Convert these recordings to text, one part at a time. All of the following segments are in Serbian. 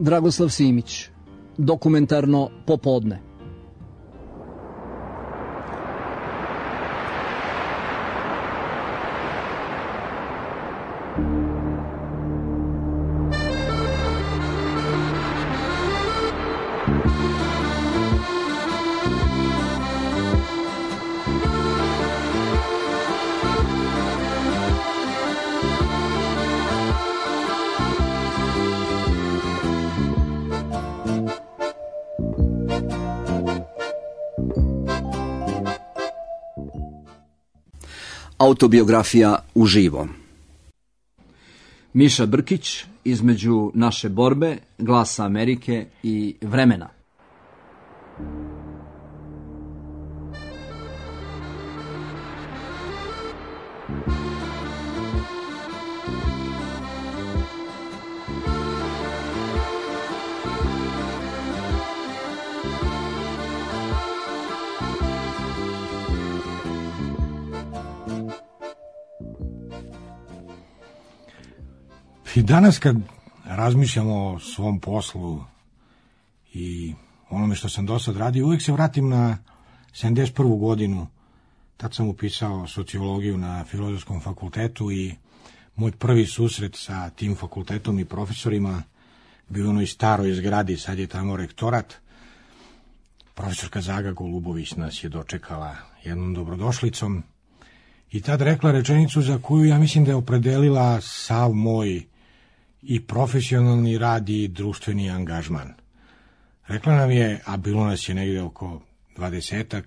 Dragoslav Simić, dokumentarno popodne. Autobiografija uživo. Miša Brkić, između naše borbe, Glasa Amerike i Vremena. I danas kad razmišljamo o svom poslu i onome što sam do sad radio, uvijek se vratim na 71. godinu. Tad sam upisao sociologiju na Filozofskom fakultetu i moj prvi susret sa tim fakultetom i profesorima bio u onoj staroj zgradi, sad je tamo rektorat. Profesorka Zaga Golubović nas je dočekala jednom dobrodošlicom i tad rekla rečenicu za koju ja mislim da je opredelila sav moj i profesionalni rad i društveni angažman. Rekla nam je, a bilo nas je negdje oko 20-ak,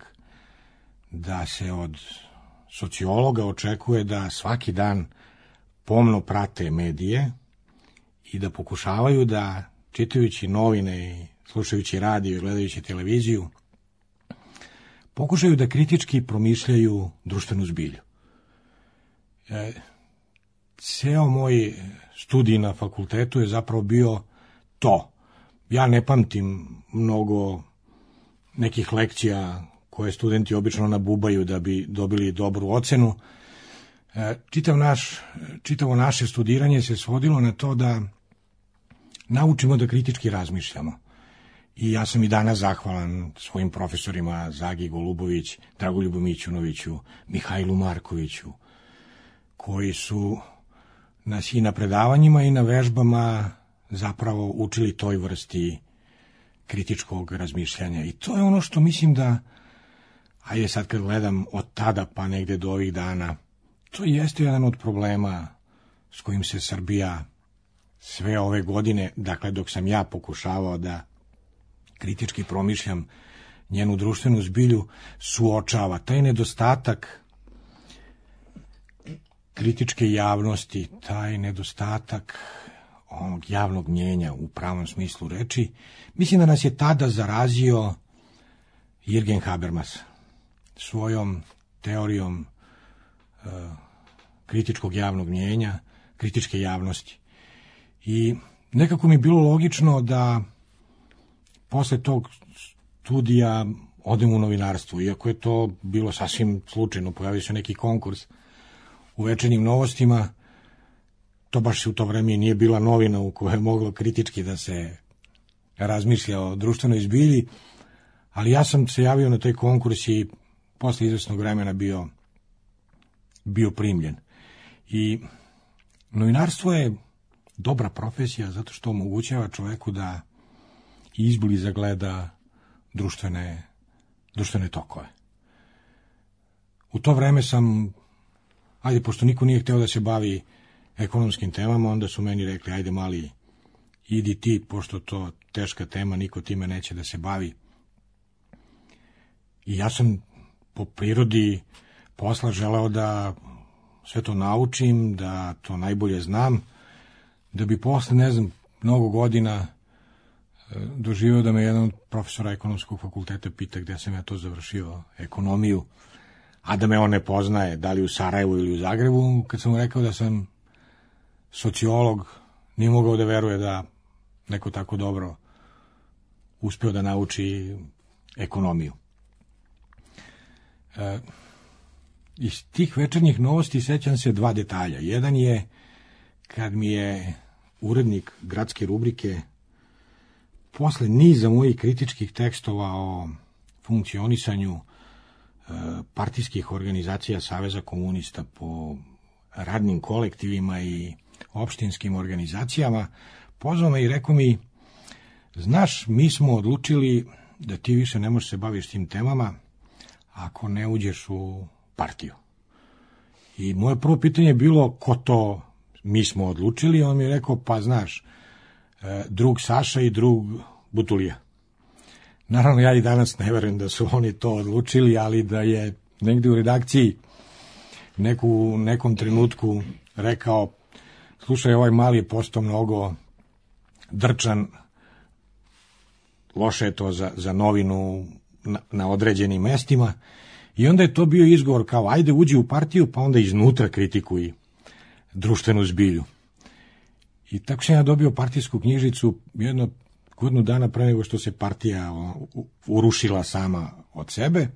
da se od sociologa očekuje da svaki dan pomno prate medije i da pokušavaju da, čitajući novine i slušajući radio i gledajući televiziju, pokušaju da kritički promišljaju društvenu zbilju. Ceo moj studij na fakultetu je zapravo bio to. Ja ne pamtim mnogo nekih lekcija koje studenti obično nabubaju da bi dobili dobru ocenu. Čitavo naše studiranje se svodilo na to da naučimo da kritički razmišljamo. I ja sam i danas zahvalan svojim profesorima Zagi Golubović, Dragoljubu Mićunoviću, Mihajlu Markoviću, koji su nas i na predavanjima i na vežbama zapravo učili toj vrsti kritičkog razmišljanja. I to je ono što mislim da, ajde sad kad gledam od tada pa negde do ovih dana, to jeste jedan od problema s kojim se Srbija sve ove godine, dakle dok sam ja pokušavao da kritički promišljam njenu društvenu zbilju, suočava. Taj nedostatak kritičke javnosti, taj nedostatak onog javnog mnjenja u pravom smislu reči, mislim da nas je tada zarazio Jürgen Habermas svojom teorijom kritičkog javnog mnjenja, kritičke javnosti. I nekako mi je bilo logično da posle tog studija odem u novinarstvo, iako je to bilo sasvim slučajno, pojavio se neki konkurs u Večernjim novostima, to baš u to vreme nije bila novina u kojoj je moglo kritički da se razmišlja o društvenoj zbilji, ali ja sam se javio na taj konkurs i posle izvesnog vremena bio primljen. I novinarstvo je dobra profesija zato što omogućava čoveku da izbliza gleda društvene tokove. U to vreme sam, pošto niko nije hteo da se bavi ekonomskim temama, onda su meni rekli, ajde mali, idi ti, pošto to teška tema, niko time neće da se bavi. I ja sam po prirodi posla želeo da sve to naučim, da to najbolje znam, da bi posle, mnogo godina doživio da me jedan od profesora ekonomskog fakulteta pita gde sam ja to završio, ekonomiju, a da me on ne poznaje, da li u Sarajevu ili u Zagrebu. Kad sam mu rekao da sam sociolog, nije mogao da veruje da neko tako dobro uspeo da nauči ekonomiju. Iz tih Večernjih novosti sećam se dva detalja. Jedan je kad mi je urednik gradske rubrike posle niza mojih kritičkih tekstova o funkcionisanju partijskih organizacija Saveza komunista po radnim kolektivima i opštinskim organizacijama, pozvao me i rekao mi, znaš, mi smo odlučili da ti više ne možeš se baviš tim temama ako ne uđeš u partiju. I moje prvo pitanje je bilo, ko to mi smo odlučili? On mi je rekao, pa znaš, drug Saša i drug Butulija. Naravno, ja i danas ne verujem da su oni to odlučili, ali da je negde u redakciji u nekom trenutku rekao, slušaj, ovaj mali je postao mnogo drčan, loše je to za novinu na određenim mestima, i onda je to bio izgovor kao, ajde uđi u partiju, pa onda iznutra kritikuj društvenu zbilju. I tako sam ja dobio partijsku knjižicu jedno godinu dana pre nego što se partija urušila sama od sebe.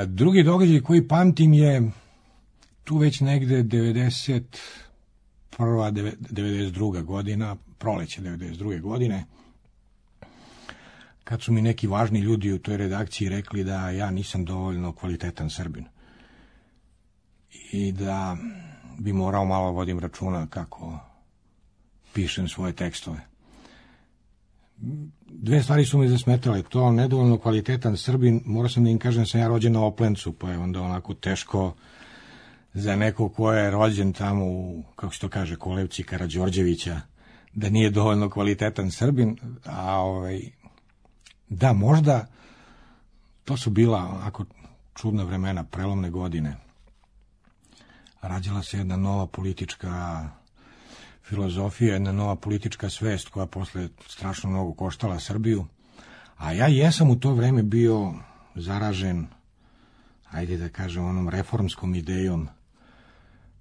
Drugi događaj koji pamtim je tu već negde 91. 92. godina, proleće 92. godine, kad su mi neki važni ljudi u toj redakciji rekli da ja nisam dovoljno kvalitetan Srbin i da bi morao malo vodim računa kako pišem svoje tekstove. Dve stvari su mi zasmetale. To nedovoljno kvalitetan Srbin, morao sam da im kažem da sam ja rođen na Oplencu, pa je onda onako teško za neko ko je rođen tamo u, kako se to kaže, kolevci Karađorđevića, da nije dovoljno kvalitetan Srbin, a da, možda to su bila onako čudna vremena, prelomne godine. Rađala se jedna nova politička filozofija, jedna nova politička svest koja posle strašno mnogo koštala Srbiju, a ja jesam u to vreme bio zaražen, ajde da kažem, onom reformskom idejom,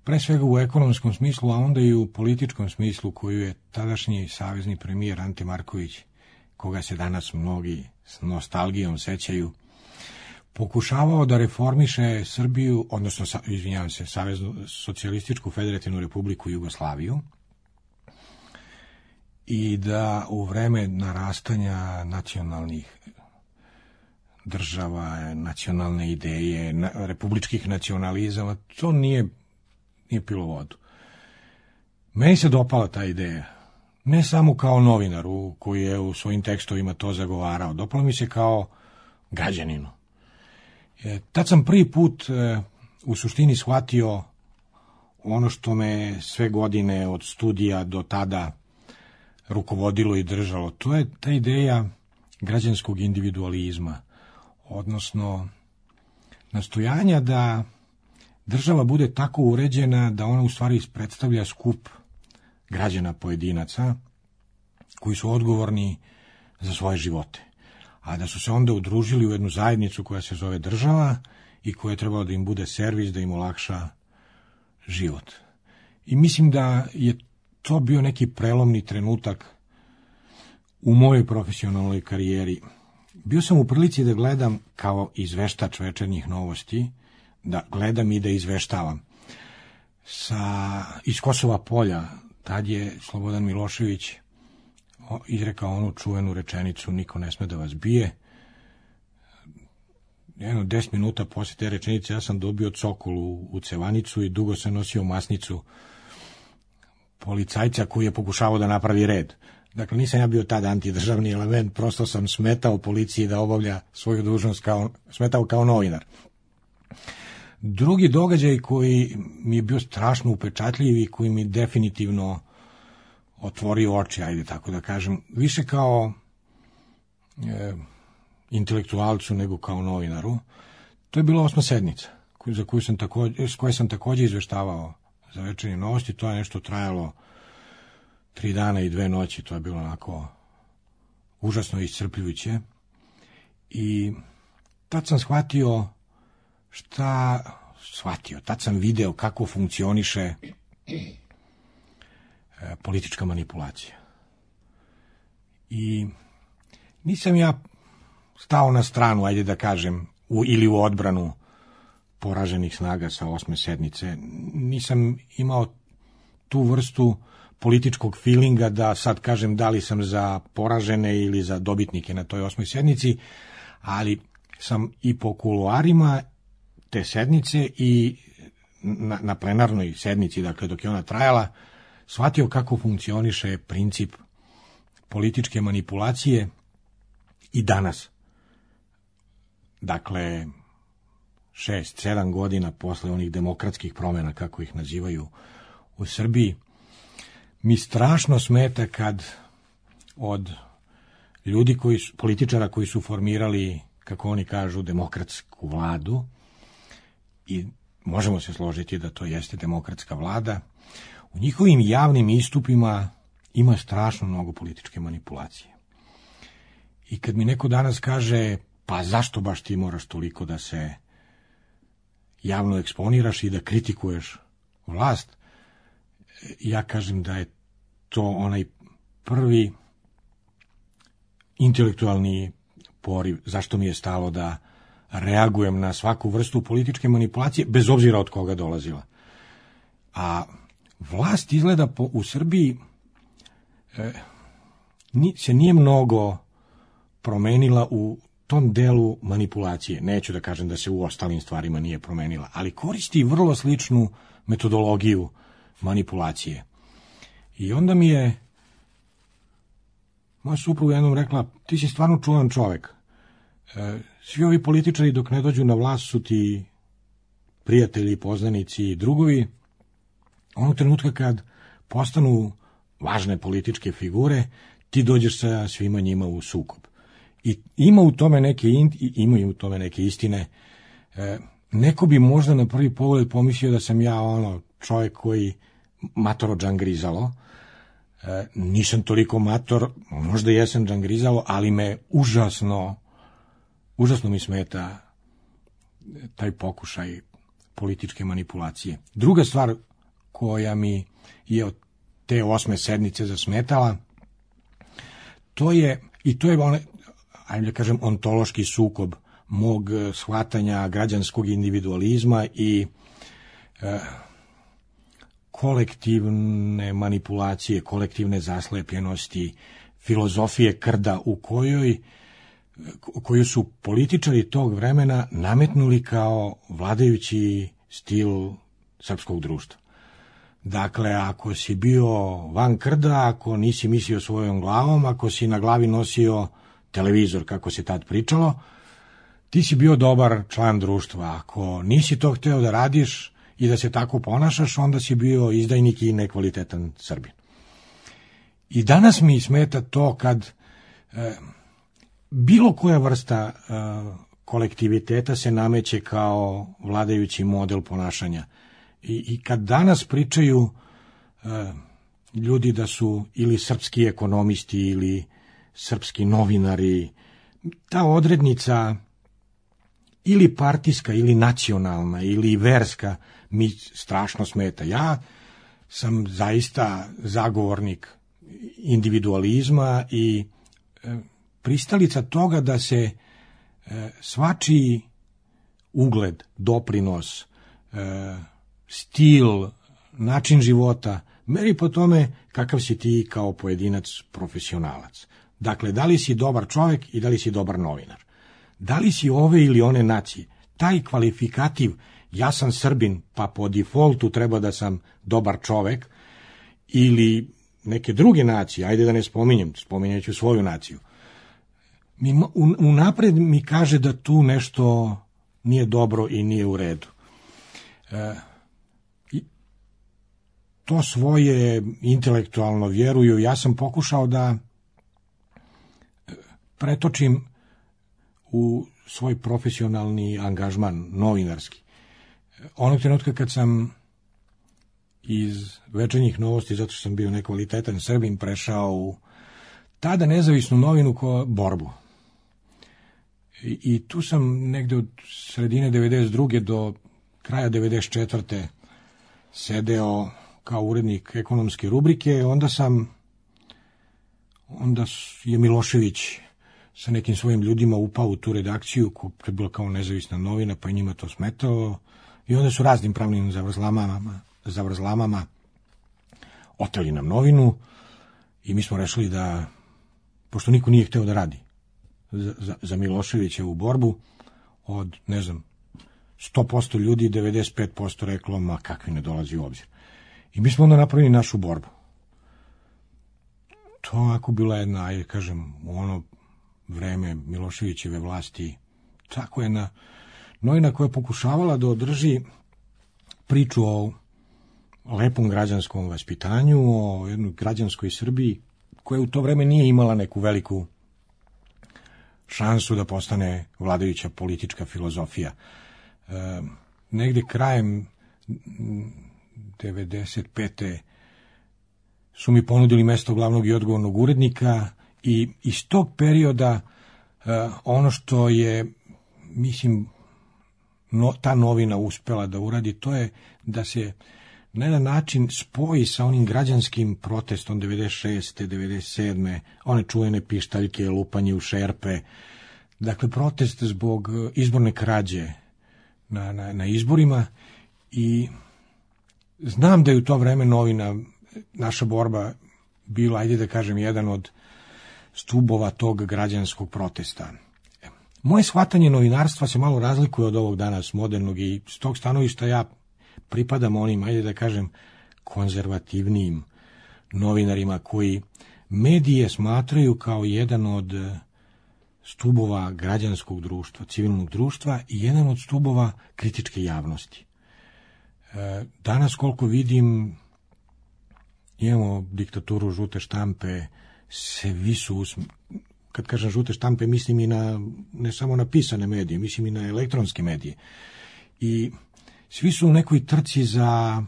pre svega u ekonomskom smislu, a onda i u političkom smislu koju je tadašnji savezni premijer Ante Marković, koga se danas mnogi s nostalgijom sećaju, pokušavao da reformiše Srbiju, odnosno, Saveznu socijalističku federativnu republiku Jugoslaviju, i da u vreme narastanja nacionalnih država, nacionalne ideje, republičkih nacionalizama, to nije pilo vodu. Meni se dopala ta ideja. Ne samo kao novinaru koji je u svojim tekstovima to zagovarao, dopalo mi se kao građaninu. Tad sam prvi put u suštini shvatio ono što me sve godine od studija do tada rukovodilo i držalo. To je ta ideja građanskog individualizma, odnosno nastojanja da država bude tako uređena da ona u stvari predstavlja skup građana pojedinaca koji su odgovorni za svoje živote, a da su se onda udružili u jednu zajednicu koja se zove država i koja je trebala da im bude servis, da im olakša život. I mislim da je to bio neki prelomni trenutak u mojoj profesionalnoj karijeri. Bio sam u prilici da gledam kao izveštač Večernjih novosti, da gledam i da izveštavam. Iz Kosova polja, tad je Slobodan Milošević izrekao onu čuvenu rečenicu, niko ne sme da vas bije. Jedno 10 minuta posle te rečenice ja sam dobio cokol u cevanicu i dugo sam nosio masnicu policajca koji je pokušavao da napravi red. Dakle, nisam ja bio tad antidržavni element, prosto sam smetao policiji da obavlja svoju dužnost, smetao kao novinar. Drugi događaj koji mi je bio strašno upečatljiv i koji mi definitivno otvorio oči, ajde tako da kažem, više kao intelektualcu nego kao novinaru, to je bila 8. sednica, s koje sam takođe izveštavao za Večernje novosti. To je nešto trajalo 3 dana i 2 noći, to je bilo onako užasno iscrpljujuće. I tad sam tad sam video kako funkcioniše politička manipulacija. I nisam ja stao na stranu, ajde da kažem, ili u odbranu poraženih snaga sa 8. sednice. Nisam imao tu vrstu političkog feelinga da sad kažem da li sam za poražene ili za dobitnike na toj 8. sednici, ali sam i po kuloarima te sednice i na plenarnoj sednici, dakle dok je ona trajala, shvatio kako funkcioniše princip političke manipulacije i danas. Dakle, 6-7 godina posle onih demokratskih promjena, kako ih nazivaju u Srbiji, mi strašno smeta kad od ljudi političara koji su formirali, kako oni kažu, demokratsku vladu, i možemo se složiti da to jeste demokratska vlada, u njihovim javnim istupima ima strašno mnogo političke manipulacije. I kad mi neko danas kaže, pa zašto baš ti moraš toliko da se javno eksponiraš i da kritikuješ vlast, ja kažem da je to onaj prvi intelektualni poriv, zašto mi je stalo da reagujem na svaku vrstu političke manipulacije, bez obzira od koga dolazila. A vlast izgleda u Srbiji se nije mnogo promenila u tom delu manipulacije. Neću da kažem da se u ostalim stvarima nije promenila, ali koristi vrlo sličnu metodologiju manipulacije. I onda mi je moja supruga jednom rekla, ti si stvarno čuvan čovek. Svi ovi političari dok ne dođu na vlast su ti prijatelji, poznanici i drugovi. Onog trenutka kad postanu važne političke figure, ti dođeš sa svima njima u sukob. I imaju u tome neke istine. Neko bi možda na prvi pogled pomislio da sam ja čovjek koji matoro džangrizalo. Nisam toliko mator, možda jesam džangrizalo, ali me užasno mi smeta taj pokušaj političke manipulacije. Druga stvar koja mi je od te 8. sednice zasmetala, to je ajde da kažem, ontološki sukob mog shvatanja građanskog individualizma i kolektivne manipulacije, kolektivne zaslepljenosti, filozofije krda koju su političari tog vremena nametnuli kao vladajući stil srpskog društva. Dakle, ako si bio van krda, ako nisi mislio svojom glavom, ako si na glavi nosio televizor, kako se tad pričalo, ti si bio dobar član društva. Ako nisi to hteo da radiš i da se tako ponašaš, onda si bio izdajnik i nekvalitetan Srbin. I danas mi smeta to kad bilo koja vrsta kolektiviteta se nameće kao vladajući model ponašanja. I kad danas pričaju ljudi da su ili srpski ekonomisti ili srpski novinari, ta odrednica ili partijska ili nacionalna ili verska mi strašno smeta. Ja sam zaista zagovornik individualizma i pristalica toga da se svačiji ugled, doprinos, stil, način života meri po tome kakav si ti kao pojedinac profesionalac. Dakle, da li si dobar čovjek i da li si dobar novinar. Da li si ove ili one nacije. Taj kvalifikativ, ja sam Srbin, pa po defaultu treba da sam dobar čovjek, ili neke druge nacije, ajde da ne spominjeću svoju naciju. Unapred mi kaže da tu nešto nije dobro i nije u redu. To svoje intelektualno vjeruju. Ja sam pokušao da pretočim u svoj profesionalni angažman, novinarski. Onog trenutka kad sam iz Večernjih novosti, zato što sam bio nekvalitetan Srbin, prešao u tada nezavisnu novinu Borbu. I tu sam negde od sredine 92. do kraja 94. sedeo kao urednik ekonomske rubrike. Onda je Milošević sa nekim svojim ljudima upao u tu redakciju, koja je bila kao nezavisna novina, pa je njima to smetalo. I onda su raznim pravnim zavrzlamama oteli nam novinu i mi smo rešili da, pošto niko nije hteo da radi za Miloševićevu borbu, od, 100% ljudi, 95% reklo, ma kakvi ne dolazi u obzir. I mi smo onda napravili našu borbu. To ako bila jedna, ajde kažem, u ono vreme Miloševićeve vlasti, tako jedna novina koja je pokušavala da održi priču o lepom građanskom vaspitanju, o jednoj građanskoj Srbiji, koja u to vreme nije imala neku veliku šansu da postane vladajuća politička filozofija. Negde krajem 95. su mi ponudili mesto glavnog i odgovornog urednika i iz tog perioda ono što je, mislim, ta novina uspela da uradi, to je da se na jedan način spoji sa onim građanskim protestom 96. 97. one čuvene pištaljke, lupanje u šerpe, dakle protest zbog izborne krađe na izborima. I znam da je u to vreme novina, naša borba bila, ajde da kažem, jedan od stubova tog građanskog protesta. Moje shvatanje novinarstva se malo razlikuje od ovog danas modernog i s tog stanovišta ja pripadam onim, ajde da kažem, konzervativnijim novinarima koji medije smatraju kao jedan od stubova građanskog društva, civilnog društva i jedan od stubova kritičke javnosti. Danas, koliko vidim, imamo diktaturu žute štampe, svi su, kad kažem žute štampe, mislim i na, ne samo na pisane medije, mislim i na elektronske medije. I svi su u nekoj trci za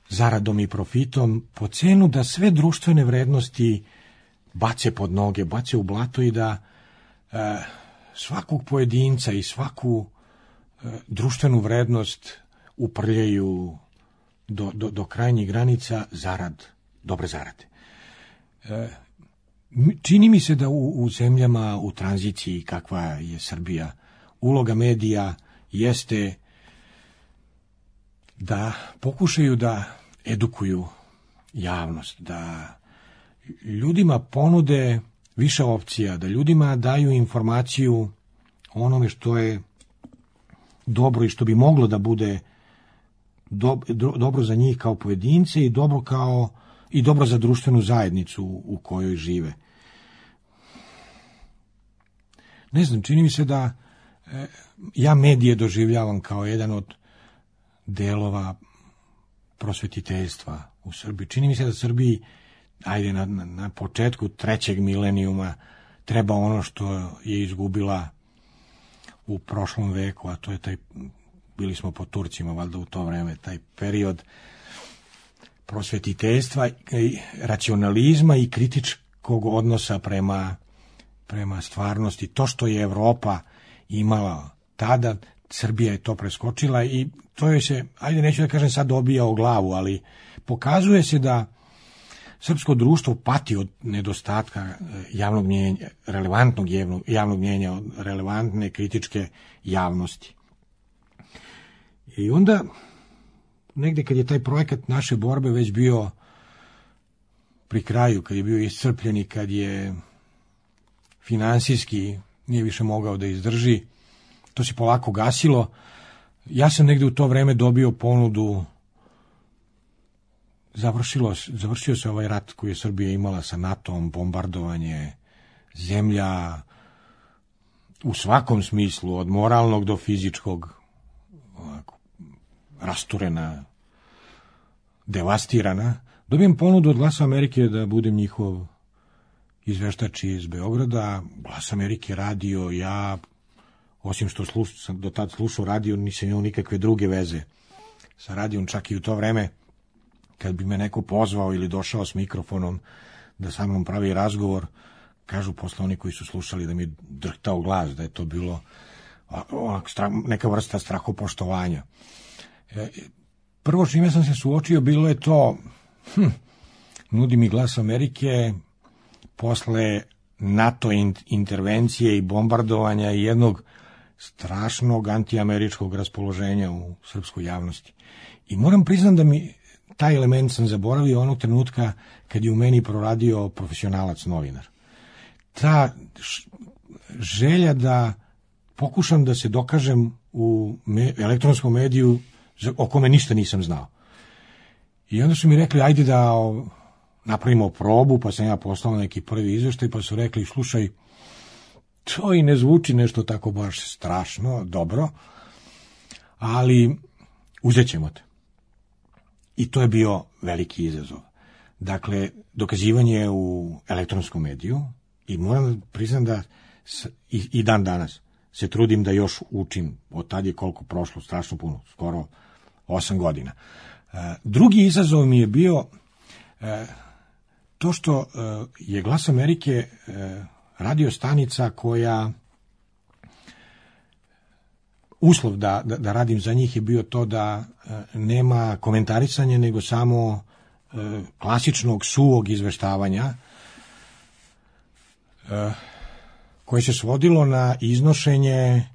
zaradom i profitom, po cenu da sve društvene vrednosti bace pod noge, bace u blato i da svakog pojedinca i svaku društvenu vrednost uprljaju do krajnjih granica zarad, dobre zarade. Čini mi se da u zemljama u tranziciji kakva je Srbija, uloga medija jeste da pokušaju da edukuju javnost, da ljudima ponude više opcija, da ljudima daju informaciju o onome što je dobro i što bi moglo da bude dobro za njih kao pojedince i dobro za društvenu zajednicu u kojoj žive. Ne znam, čini mi se da ja medije doživljavam kao jedan od delova prosvetiteljstva u Srbiji. Čini mi se da Srbiji, ajde, na početku 3. milenijuma treba ono što je izgubila u prošlom veku, a to je bili smo pod Turcima, valjda u to vreme, taj period prosvetiteljstva, racionalizma i kritičkog odnosa prema stvarnosti. To što je Evropa imala tada, Srbija je to preskočila i to je se, ajde neću da kažem sad dobija o glavu, ali pokazuje se da srpsko društvo pati od nedostatka javnog mnjenja, relevantnog javnog mnjenja, od relevantne kritičke javnosti. I onda, negde kad je taj projekat naše borbe već bio pri kraju, kad je bio iscrpljen i kad je finansijski nije više mogao da izdrži, to se polako gasilo. Ja sam negde u to vreme dobio ponudu, završio se ovaj rat koji je Srbija imala sa NATO-om, bombardovanje, zemlja u svakom smislu, od moralnog do fizičkog, rasturena, devastirana. Dobijem ponudu od Glasa Amerike da budem njihov izveštač iz Beograda. Glas Amerike radio, ja, osim što sam do tad slušao radio, nisam imao nikakve druge veze sa radijom, čak i u to vreme, kad bi me neko pozvao ili došao s mikrofonom da sa mnom pravi razgovor, kažu posle oni koji su slušali da mi drhtao glas, da je to bilo neka vrsta strahopoštovanja. Prvo čime sam se suočio bilo je to, nudi mi Glas Amerike posle NATO intervencije i bombardovanja i jednog strašnog antiameričkog raspoloženja u srpskoj javnosti. I moram priznam da mi taj element sam zaboravio onog trenutka kad je u meni proradio profesionalac novinar. Ta želja da pokušam da se dokažem u elektronskom mediju o kome ništa nisam znao. I onda su mi rekli, ajde da napravimo probu, pa sam ja poslao neki prvi izveštaj, pa su rekli, slušaj, to i ne zvuči nešto tako baš strašno, dobro, ali uzet ćemo te. I to je bio veliki izazov. Dakle, dokazivanje u elektronskom mediju, i moram priznam da i dan danas se trudim da još učim, od tad je koliko prošlo, strašno puno, skoro 8 godina. Drugi izazov mi je bio to što je Glas Amerike radio stanica koja, uslov da radim za njih je bio to da nema komentarisanja, nego samo klasičnog suvog izveštavanja, koje se svodilo na iznošenje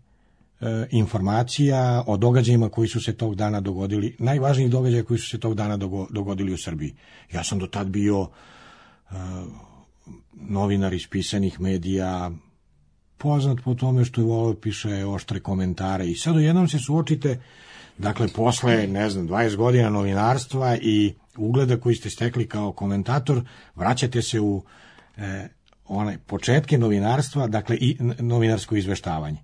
informacija o događajima koji su se tog dana dogodili, najvažnijih događaja koji su se tog dana dogodili u Srbiji. Ja sam do tad bio novinar iz pisanih medija, poznat po tome što je volio piše oštre komentare, i sad jednom se suočite, dakle, posle, 20 godina novinarstva i ugleda koji ste stekli kao komentator, vraćate se u one početke novinarstva, dakle, i novinarsko izveštavanje.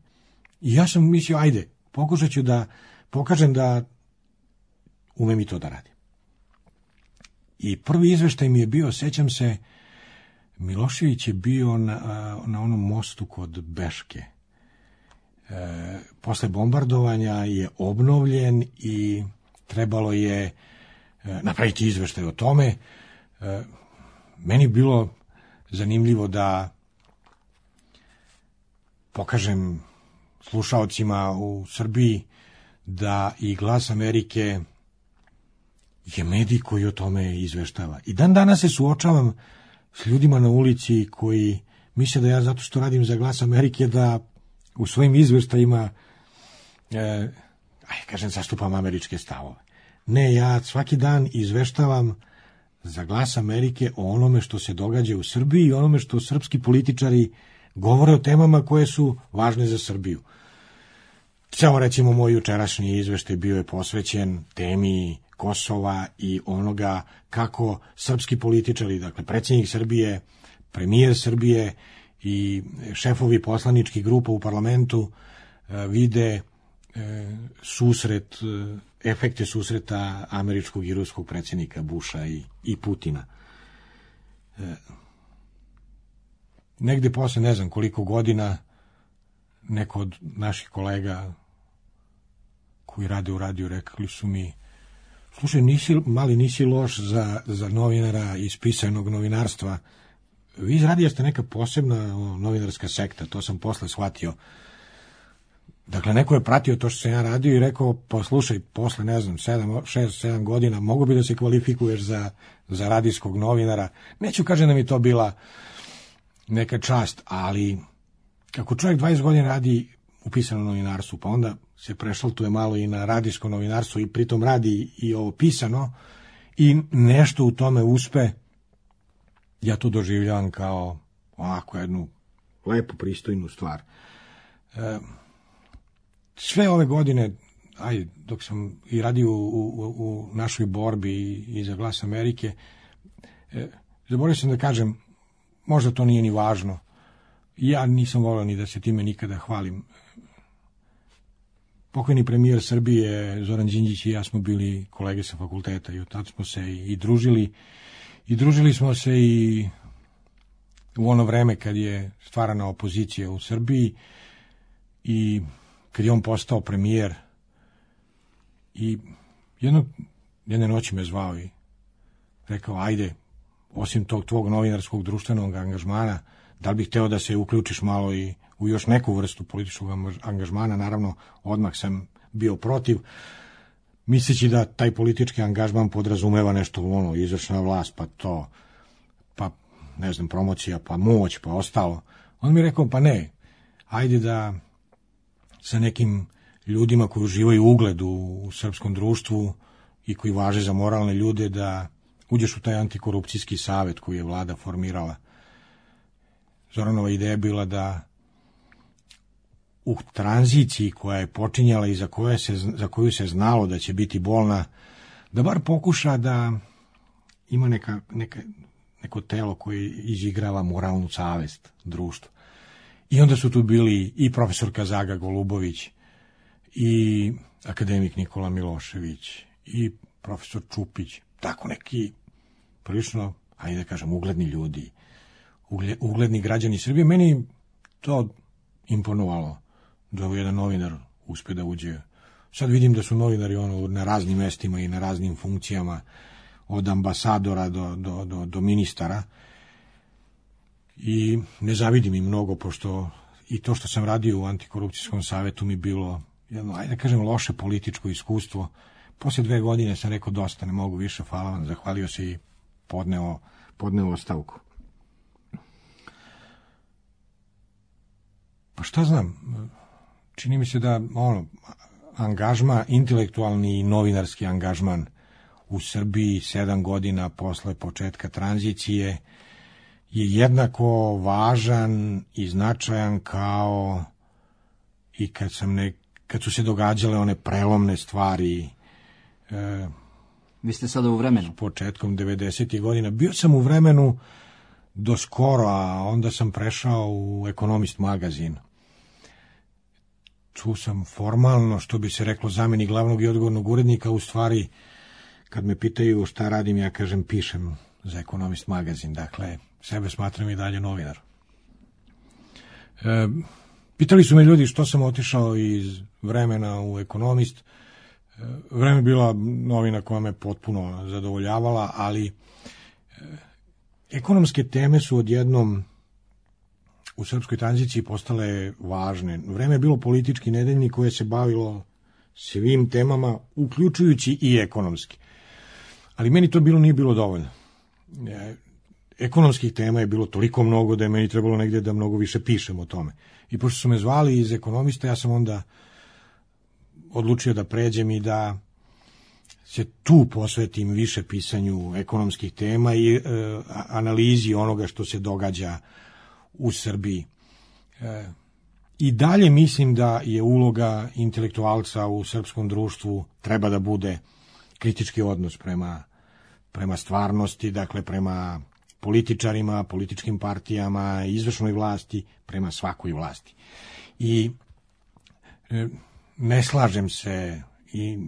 I ja sam mislio, ajde, pokušat ću da pokažem da umem i to da radim. I prvi izveštaj mi je bio, sećam se, Milošević je bio na onom mostu kod Beške. Posle bombardovanja je obnovljen i trebalo je napraviti izveštaj o tome. Meni je bilo zanimljivo da pokažem slušaocima u Srbiji da i Glas Amerike je medij koji o tome izveštava. I dan danas se suočavam s ljudima na ulici koji misle da ja, zato što radim za Glas Amerike, da u svojim izveštajima zastupam američke stavove. Ne, ja svaki dan izveštavam za Glas Amerike o onome što se događa u Srbiji i onome što srpski političari govore o temama koje su važne za Srbiju. Ceo, recimo, moj jučerašnji izveštaj bio je posvećen temi Kosova i onoga kako srpski političari, dakle predsjednik Srbije, premijer Srbije i šefovi poslaničkih grupa u parlamentu vide susret, efekte susreta američkog i ruskog predsjednika Busha i Putina. Negde posle ne znam koliko godina neko od naših kolega koji rade u radiju rekli su mi: slušaj, nisi loš za novinara iz pisanog novinarstva. Vi iz radija ste neka posebna novinarska sekta, to sam posle shvatio. Dakle, neko je pratio to što sam ja radio i rekao, pa slušaj, posle, 6-7 godina mogu bi da se kvalifikuješ za radijskog novinara. Neću kažem da mi to bila neka čast, ali kako čovjek 20 godina radi u pisanom novinarstvu, pa onda se prešaltuje malo i na radijsko novinarstvo i pritom radi i ovo pisano i nešto u tome uspe, ja to doživljavam kao ovako jednu lepu, pristojnu stvar. Sve ove godine, dok sam i radio u našoj borbi i za Glas Amerike, zaboravio sam da kažem, možda to nije ni važno, ja nisam volio ni da se time nikada hvalim. Pokojni premijer Srbije Zoran Đinđić i ja smo bili kolege sa fakulteta i od tada smo se i družili. I družili smo se i u ono vreme kad je stvarana opozicija u Srbiji i kad je on postao premijer. I jedne noći me zvao i rekao, ajde, osim tog tvog novinarskog društvenog angažmana, da li bih hteo da se uključiš malo i u još neku vrstu političkog angažmana. Naravno, odmah sam bio protiv, misleći da taj politički angažman podrazumeva nešto izvršna vlast, pa promocija, pa moć, pa ostalo. On mi je rekao, pa ne, ajde da sa nekim ljudima koji uživaju ugled u srpskom društvu i koji važe za moralne ljude da uđeš u taj antikorupcijski savet koji je vlada formirala. Zoranova ideja je bila da u tranziciji koja je počinjala i za koju se znalo da će biti bolna, da bar pokuša da ima neko telo koje izigrava moralnu savest društva. I onda su tu bili i profesorka Zaga Golubović, i akademik Nikola Milošević, i profesor Čupić, tako neki prilično, ajde da kažem, ugledni ljudi, ugledni građani Srbije. Meni to imponovalo da jedan novinar uspe da uđe. Sad vidim da su novinari na raznim mestima i na raznim funkcijama, od ambasadora do ministara, i ne zavidim im mnogo, pošto i to što sam radio u antikorupcijskom savetu mi bilo jedno, ajde da kažem, loše političko iskustvo. Posle 2 godine sam rekao dosta, ne mogu više, hvala vam, zahvalio se i podneo ostavku. Pa šta znam, čini mi se da angažman, intelektualni i novinarski angažman u Srbiji 7 godina posle početka tranzicije je jednako važan i značajan kao i kad su se događale one prelomne stvari. Vi ste sada u vremenu? S početkom 90. godina. Bio sam u vremenu do skoro, a onda sam prešao u Ekonomist magazin. Tu sam formalno, što bi se reklo, zamenik glavnog i odgovornog urednika. U stvari, kad me pitaju šta radim, ja kažem pišem za Ekonomist magazin. Dakle, sebe smatram i dalje novinar. Pitali su me ljudi što sam otišao iz Vremena u Ekonomist. Vreme je bila novina koja me potpuno zadovoljavala, ali ekonomske teme su odjednom u srpskoj tranziciji postale važne. Vreme je bilo politički nedeljnik koje se bavilo svim temama, uključujući i ekonomski. Ali meni to nije bilo dovoljno. Ekonomskih tema je bilo toliko mnogo da je meni trebalo negdje da mnogo više pišem o tome. I pošto su me zvali iz Ekonomista, ja sam onda odlučio da pređem i da se tu posvetim više pisanju ekonomskih tema i analizi onoga što se događa u Srbiji. I dalje mislim da je uloga intelektualca u srpskom društvu treba da bude kritički odnos prema stvarnosti, dakle prema političarima, političkim partijama, izvršnoj vlasti, prema svakoj vlasti. I ne slažem se i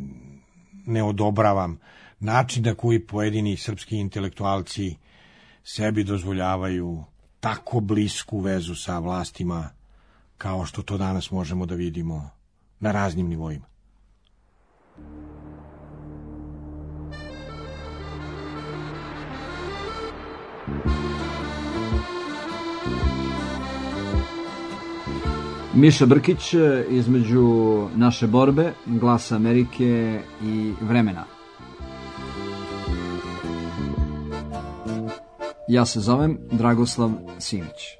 ne odobravam način na koji pojedini srpski intelektualci sebi dozvoljavaju tako blisku vezu sa vlastima kao što to danas možemo da vidimo na raznim nivoima. Miša Brkić, između naše borbe, Glasa Amerike i Vremena. Ja se zovem Dragoslav Simić.